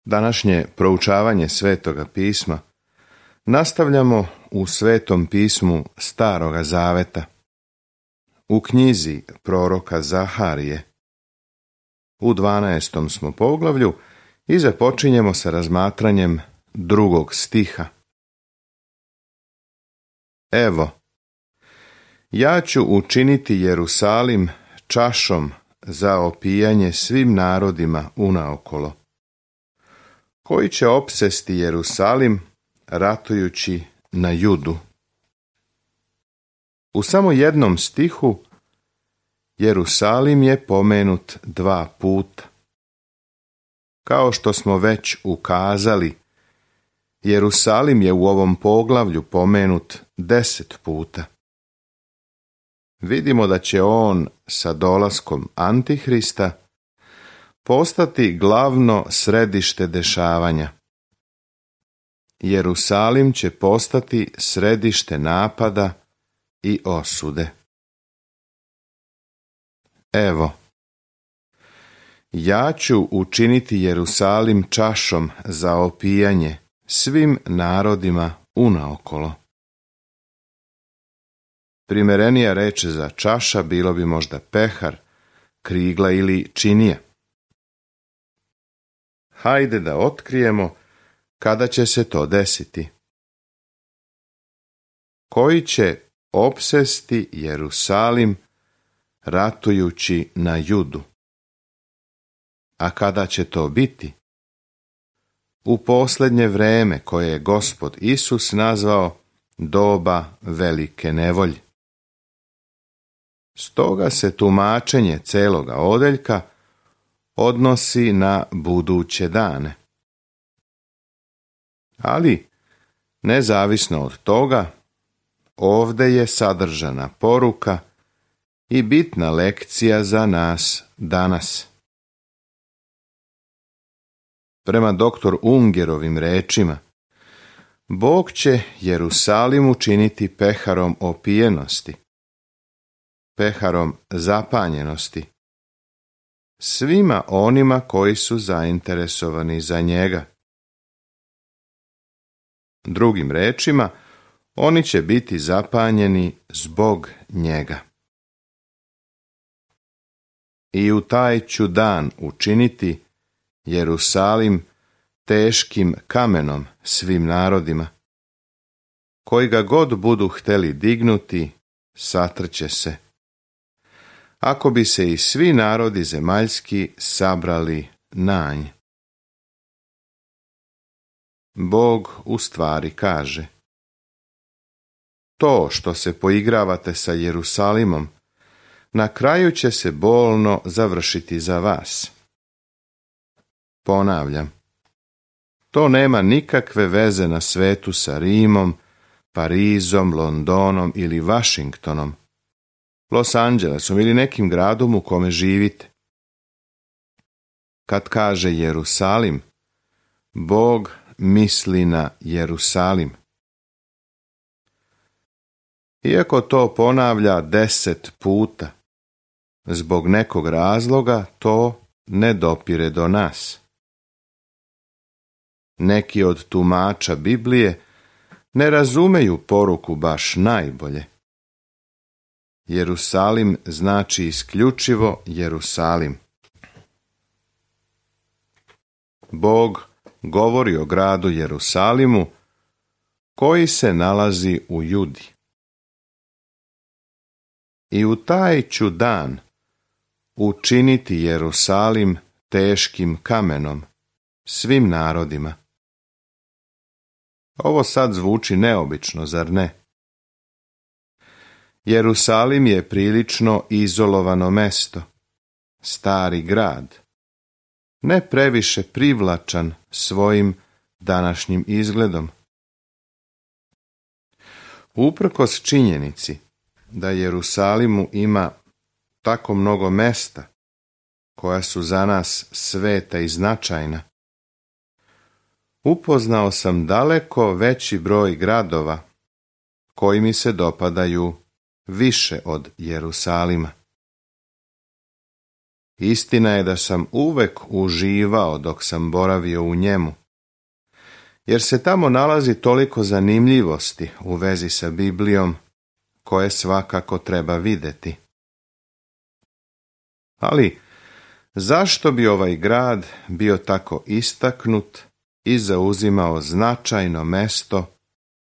Današnje proučavanje Svetoga pisma nastavljamo u Svetom pismu Staroga Zaveta, u knjizi proroka Zaharije. U 12. smo poglavlju i započinjemo sa razmatranjem 2. stiha. Evo, ja ću učiniti Jerusalim čašom za opijanje svim narodima unaokolo, koji će opsesti Jerusalim ratujući na Judu. U samo jednom stihu Jerusalim je pomenut 2 puta. Kao što smo već ukazali, Jerusalim je u ovom poglavlju pomenut 10 puta. Vidimo da će on sa dolaskom Antihrista postati glavno središte dešavanja. Jerusalim će postati središte napada i osude. Evo, ja ću učiniti Jerusalim čašom za opijanje svim narodima unaokolo. Primerenija reč za čaša bilo bi možda pehar, krigla ili činija. Hajde da otkrijemo kada će se to desiti. Koji će opsesti Jerusalim ratujući na Judu. A kada će to biti? U posljednje vreme koje je Gospod Isus nazvao doba velike nevolje. Stoga se tumačenje celoga odeljka odnosi na buduće dane. Ali, nezavisno od toga, ovdje je sadržana poruka i bitna lekcija za nas danas. Prema dr. Ungerovim rečima, Bog će Jerusalim učiniti peharom opijenosti, peharom zapanjenosti, svima onima koji su zainteresovani za njega. Drugim rečima, oni će biti zapanjeni zbog njega. I u taj ću dan učiniti Jerusalim teškim kamenom svim narodima. Koji ga god budu hteli dignuti, satrće se. Ako bi se i svi narodi zemaljski sabrali na nj. Bog u stvari kaže: to što se poigravate sa Jerusalimom, na kraju će se bolno završiti za vas. Ponavljam, to nema nikakve veze na svetu sa Rimom, Parizom, Londonom ili Washingtonom, Los Angelesom ili nekim gradom u kome živite. Kad kaže Jerusalim, Bog misli na Jerusalim. Iako to ponavlja 10 puta, zbog nekog razloga to ne dopire do nas. Neki od tumača Biblije ne razumeju poruku baš najbolje. Jerusalim znači isključivo Jerusalim. Bog govori o gradu Jerusalimu koji se nalazi u Judi. I u taj ću dan učiniti Jerusalim teškim kamenom svim narodima. Ovo sad zvuči neobično, zar ne? Jerusalim je prilično izolovano mesto, stari grad, ne previše privlačan svojim današnjim izgledom. Uprkos činjenici da Jerusalimu ima tako mnogo mesta koja su za nas sveta i značajna, upoznao sam daleko veći broj gradova koji mi se dopadaju više od Jerusalima. istina je da sam uvek uživao dok sam boravio u njemu, jer se tamo nalazi toliko zanimljivosti u vezi sa Biblijom koje svakako treba vidjeti. Ali zašto bi ovaj grad bio tako istaknut i zauzimao značajno mesto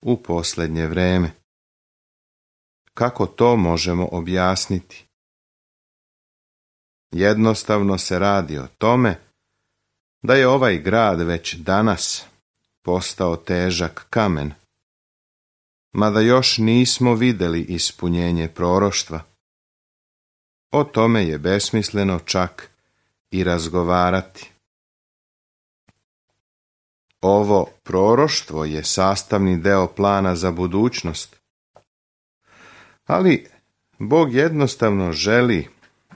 u posljednje vrijeme? Kako to možemo objasniti? Jednostavno se radi o tome da je ovaj grad već danas postao težak kamen, mada još nismo vidjeli ispunjenje proroštva. O tome je besmisleno čak i razgovarati. Ovo proroštvo je sastavni deo plana za budućnost, ali Bog jednostavno želi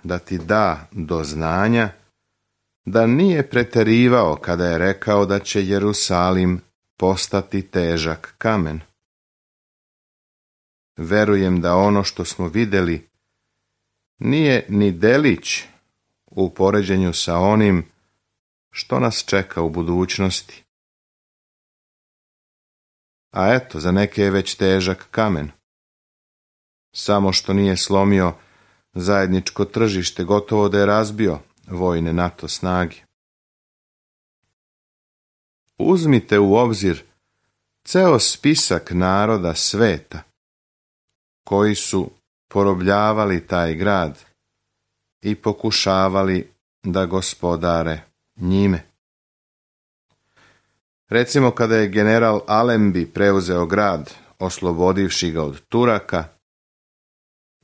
da ti da do znanja da nije pretjerivao kada je rekao da će Jerusalim postati težak kamen. Verujem da ono što smo vidjeli nije ni delić u poređenju sa onim što nas čeka u budućnosti. A eto, za neke je već težak kamen. Samo što nije slomio zajedničko tržište, gotovo da je razbio vojne NATO snage. Uzmite u obzir ceo spisak naroda sveta koji su porobljavali taj grad i pokušavali da gospodare njime. Recimo kada je general Allenby preuzeo grad, oslobodivši ga od Turaka,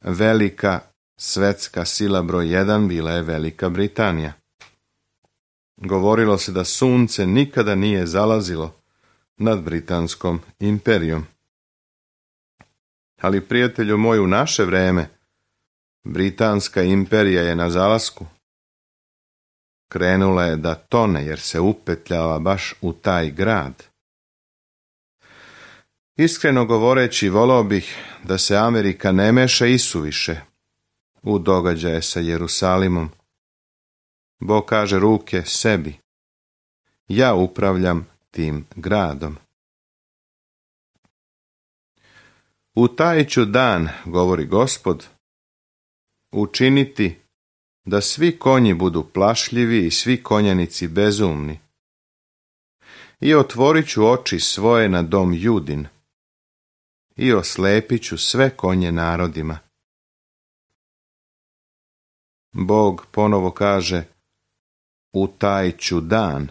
velika svetska sila broj 1 bila je Velika Britanija. Govorilo se da sunce nikada nije zalazilo nad Britanskom imperijom. Ali, prijatelju moj, u naše vreme Britanska imperija je na zalasku. Krenula je da tone jer se upetljava baš u taj grad. Iskreno govoreći, volao bih da se Amerika ne meša isuviše u događaje sa Jerusalimom. Bog kaže ruke sebi. Ja upravljam tim gradom. U taj ću dan, govori Gospod, učiniti da svi konji budu plašljivi i svi konjanici bezumni. I otvorit ću oči svoje na dom Judin i oslepit ću sve konje narodima. Bog ponovo kaže, u taj ću dan.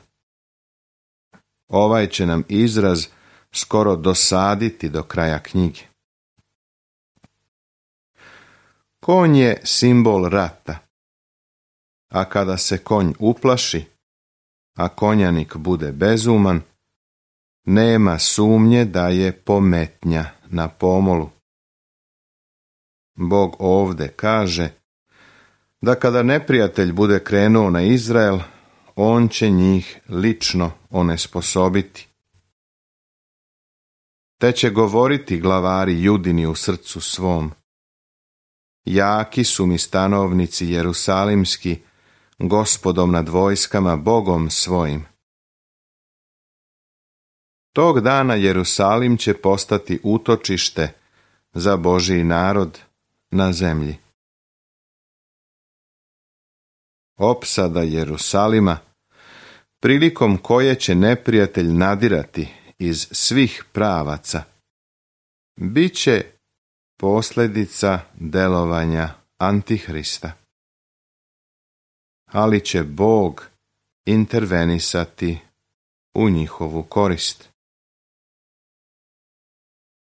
Ovaj će nam izraz skoro dosaditi do kraja knjige. Konj je simbol rata, a kada se konj uplaši, a konjanik bude bezuman, nema sumnje da je pometnja na pomolu. Bog ovde kaže da kada neprijatelj bude krenuo na Izrael, on će njih lično onesposobiti. Te će govoriti glavari Judini u srcu svom. Jaki su mi stanovnici jerusalimski, Gospodom nad vojskama, Bogom svojim. Tog dana Jerusalim će postati utočište za Božji narod na zemlji. Opsada Jerusalima, prilikom koje će neprijatelj nadirati iz svih pravaca, bit će posljedica delovanja Antihrista. Ali će Bog intervenisati u njihovu korist.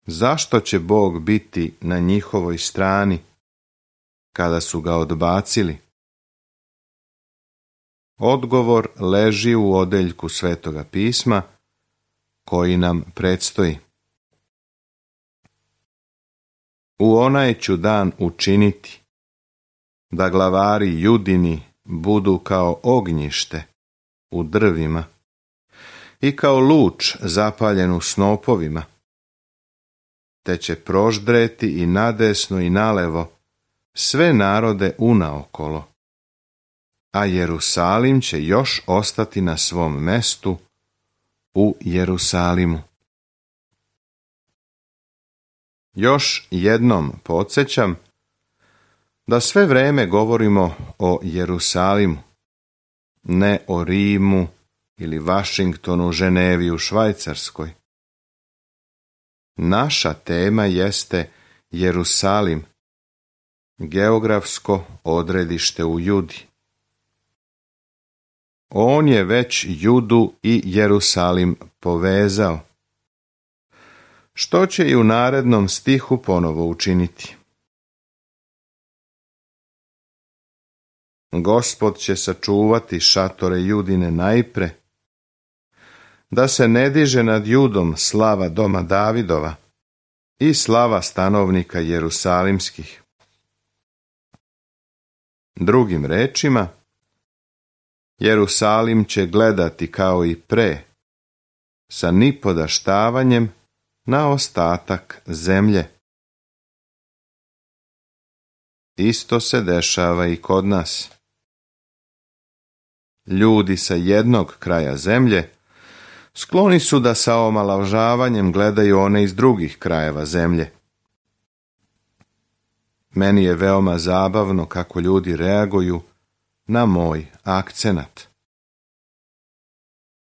Zašto će Bog biti na njihovoj strani kada su ga odbacili? Odgovor leži u odeljku Svetoga pisma koji nam predstoji. U onaj ću dan učiniti da glavari Judini budu kao ognjište u drvima i kao luč zapaljen u snopovima, te će proždreti i nadesno i nalevo sve narode unaokolo. a Jerusalim će još ostati na svom mestu u Jerusalimu. Još jednom podsjećam da sve vrijeme govorimo o Jerusalimu, ne o Rimu ili Vašingtonu, Ženevi u Švajcarskoj. Naša tema jeste Jerusalim, geografsko odredište u Judi. On je već Judu i Jerusalim povezao, što će i u narednom stihu ponovo učiniti. Gospod će sačuvati šatore Judine najpre, da se ne diže nad Judom slava doma Davidova i slava stanovnika Jerusalimskih. Drugim rečima, Jerusalim će gledati kao i pre, sa nipodaštavanjem na ostatak zemlje. Isto se dešava i kod nas. Ljudi sa jednog kraja zemlje skloni su da sa omalovažavanjem gledaju one iz drugih krajeva zemlje. Meni je veoma zabavno kako ljudi reaguju na moj akcenat.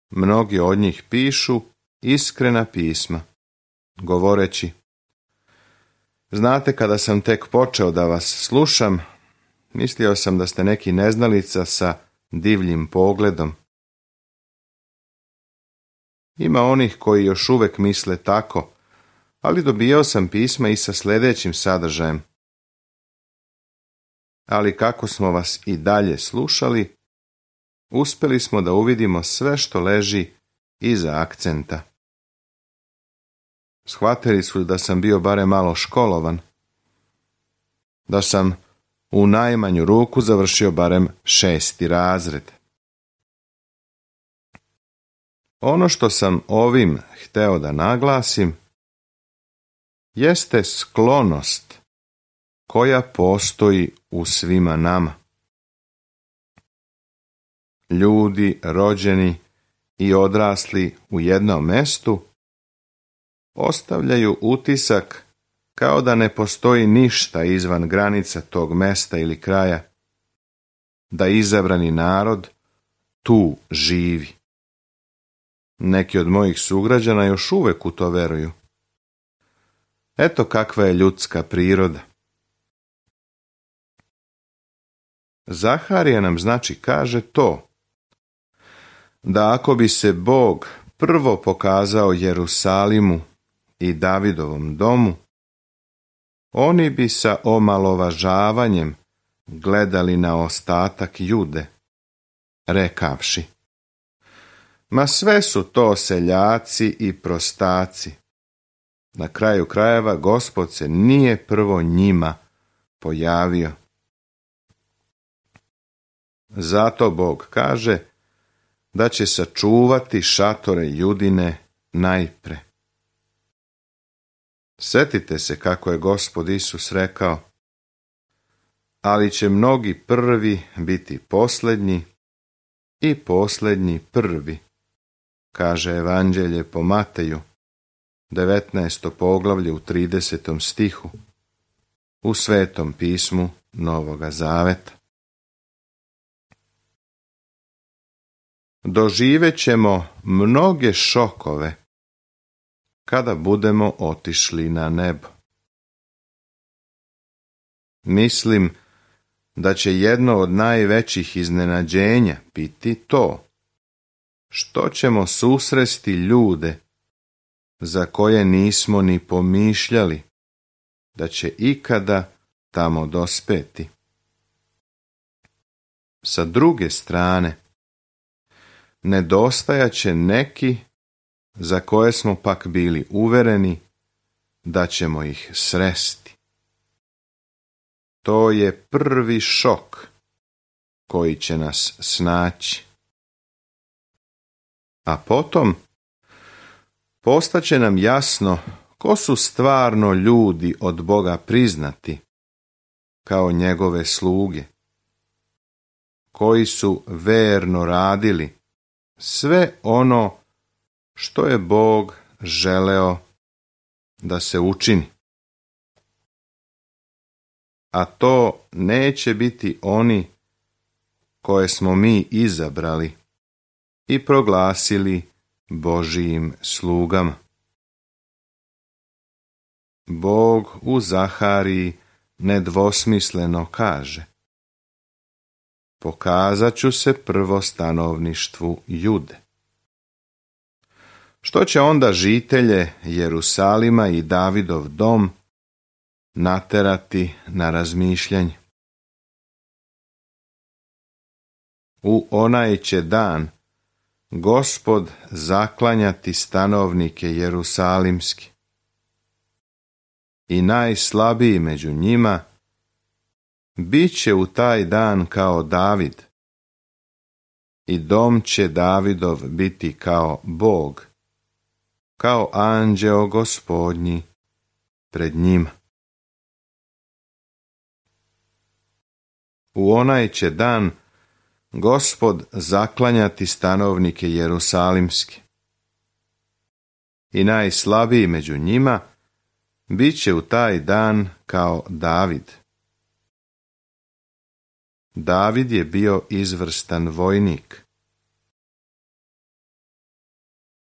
Mnogi od njih pišu iskrena pisma, govoreći: znate, kada sam tek počeo da vas slušam, mislio sam da ste neki neznalica sa divljim pogledom. Ima onih koji još uvijek misle tako, ali dobijao sam pisma i sa sljedećim sadržajem. Ali kako smo vas i dalje slušali, uspjeli smo da uvidimo sve što leži iza akcenta. Shvatili su da sam bio barem malo školovan, da sam u najmanju ruku završio barem 6. razred. Ono što sam ovim hteo da naglasim jeste sklonost koja postoji u svima nama. Ljudi rođeni i odrasli u jednom mestu ostavljaju utisak kao da ne postoji ništa izvan granica tog mesta ili kraja, da izabrani narod tu živi. Neki od mojih sugrađana još uvijek u to veruju. Eto kakva je ljudska priroda. Zaharija nam kaže to, da ako bi se Bog prvo pokazao Jerusalimu i Davidovom domu, oni bi sa omalovažavanjem gledali na ostatak Jude, rekavši: ma sve su to seljaci i prostaci. Na kraju krajeva Gospod se nije prvo njima pojavio. Zato Bog kaže da će sačuvati šatore Judine najpre. Sjetite se kako je Gospod Isus rekao: ali će mnogi prvi biti posljednji i posljednji prvi, kaže Evanđelje po Mateju, 19. poglavlje u 30. stihu, u Svetom pismu Novoga Zaveta. Doživet ćemo mnoge šokove kada budemo otišli na nebo. Mislim da će jedno od najvećih iznenađenja biti to što ćemo susresti ljude za koje nismo ni pomišljali da će ikada tamo dospeti. Sa druge strane, nedostajat će neki za koje smo pak bili uvereni da ćemo ih sresti. To je prvi šok koji će nas snaći. A potom postaće nam jasno ko su stvarno ljudi od Boga priznati kao njegove sluge, koji su verno radili sve ono što je Bog želeo da se učini. A to neće biti oni koje smo mi izabrali i proglasili Božijim slugama. Bog u Zahariji nedvosmisleno kaže: pokazat ću se prvo stanovništvu Jude. Što će onda žitelje Jerusalima i Davidov dom naterati na razmišljanje? U onaj će dan Gospod zaklanjati stanovnike jerusalimski i najslabiji među njima bit će u taj dan kao David i dom će Davidov biti kao Bog, kao anđeo Gospodnji pred njima. U onaj će dan Gospod zaklanjati stanovnike jerusalimski i najslabiji među njima bit će u taj dan kao David. David je bio izvrstan vojnik.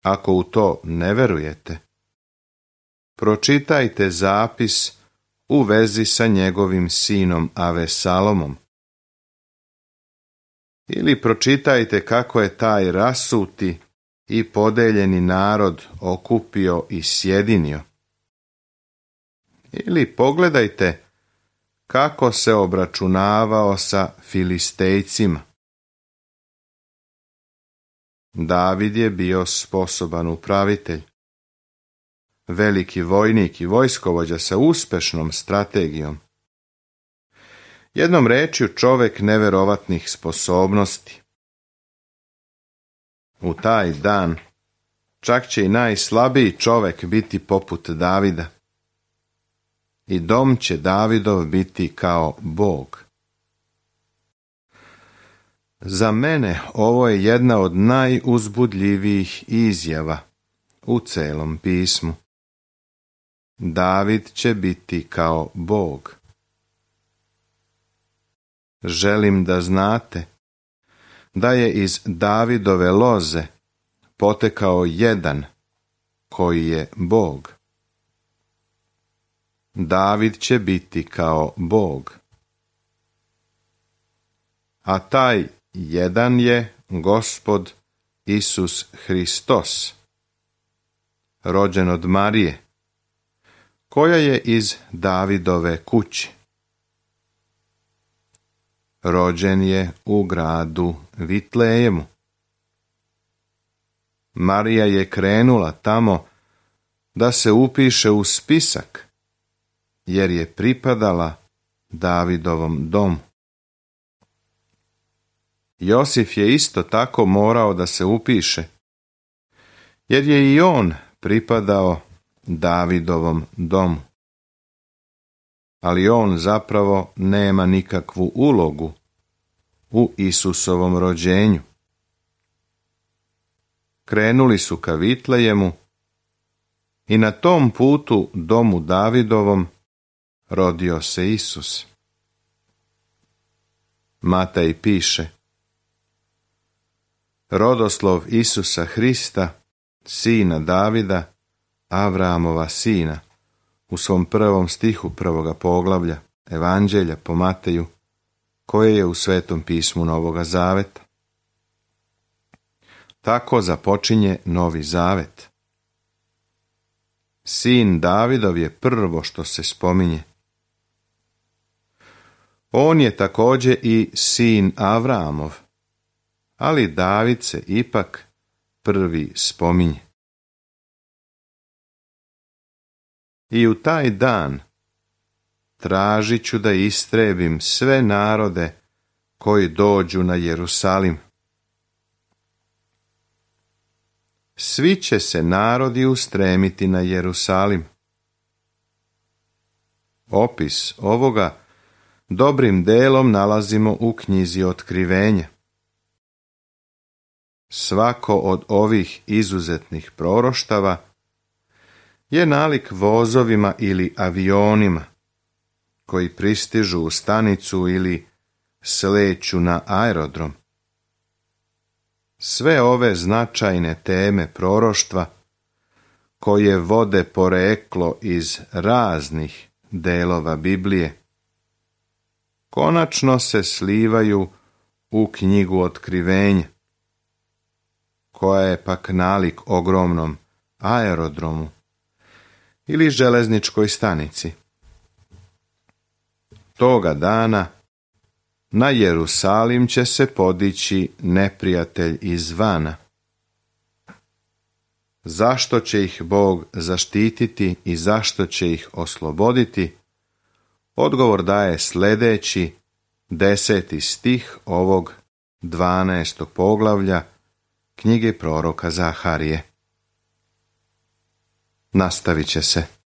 Ako u to ne verujete, pročitajte zapis u vezi sa njegovim sinom Avesalomom. Ili pročitajte kako je taj rasuti i podeljeni narod okupio i sjedinio. Ili pogledajte kako se obračunavao sa Filistejcima. David je bio sposoban upravitelj, veliki vojnik i vojskovođa sa uspešnom strategijom. Jednom rečju čovjek neverovatnih sposobnosti. U taj dan čak će i najslabiji čovjek biti poput Davida. I dom će Davidov biti kao Bog. Za mene ovo je jedna od najuzbudljivijih izjava u celom pismu. David će biti kao Bog. Želim da znate da je iz Davidove loze potekao jedan koji je Bog. David će biti kao Bog. A taj jedan je Gospod Isus Hristos, rođen od Marije, koja je iz Davidove kuće. Rođen je u gradu Vitlejemu. Marija je krenula tamo da se upiše u spisak, jer je pripadala Davidovom domu. Josif je isto tako morao da se upiše, jer je i on pripadao Davidovom domu. Ali on zapravo nema nikakvu ulogu u Isusovom rođenju. Krenuli su ka Vitlejemu i na tom putu domu Davidovom rodio se Isus. Matej piše: rodoslov Isusa Hrista, sina Davida, Avramova sina, u svom 1. stihu 1. poglavlja Evanđelja po Mateju, koje je u Svetom pismu Novoga Zaveta. Tako započinje Novi Zavet. Sin Davidov je prvo što se spominje. On je također i sin Avramov, ali David se ipak prvi spominje. I u taj dan tražit ću da istrebim sve narode koji dođu na Jerusalim. Svi će se narodi ustremiti na Jerusalim. Opis ovoga dobrim delom nalazimo u knjizi Otkrivenja. Svako od ovih izuzetnih proroštava je nalik vozovima ili avionima koji pristižu u stanicu ili sleću na aerodrom. Sve ove značajne teme proroštva, koje vode poreklo iz raznih delova Biblije, konačno se slivaju u knjigu Otkrivenja, koja je pak nalik ogromnom aerodromu ili železničkoj stanici. Toga dana na Jerusalim će se podići neprijatelj izvana. Zašto će ih Bog zaštititi i zašto će ih osloboditi? Odgovor daje sljedeći 10. stih ovog 12. poglavlja knjige proroka Zaharije. Nastavit će se.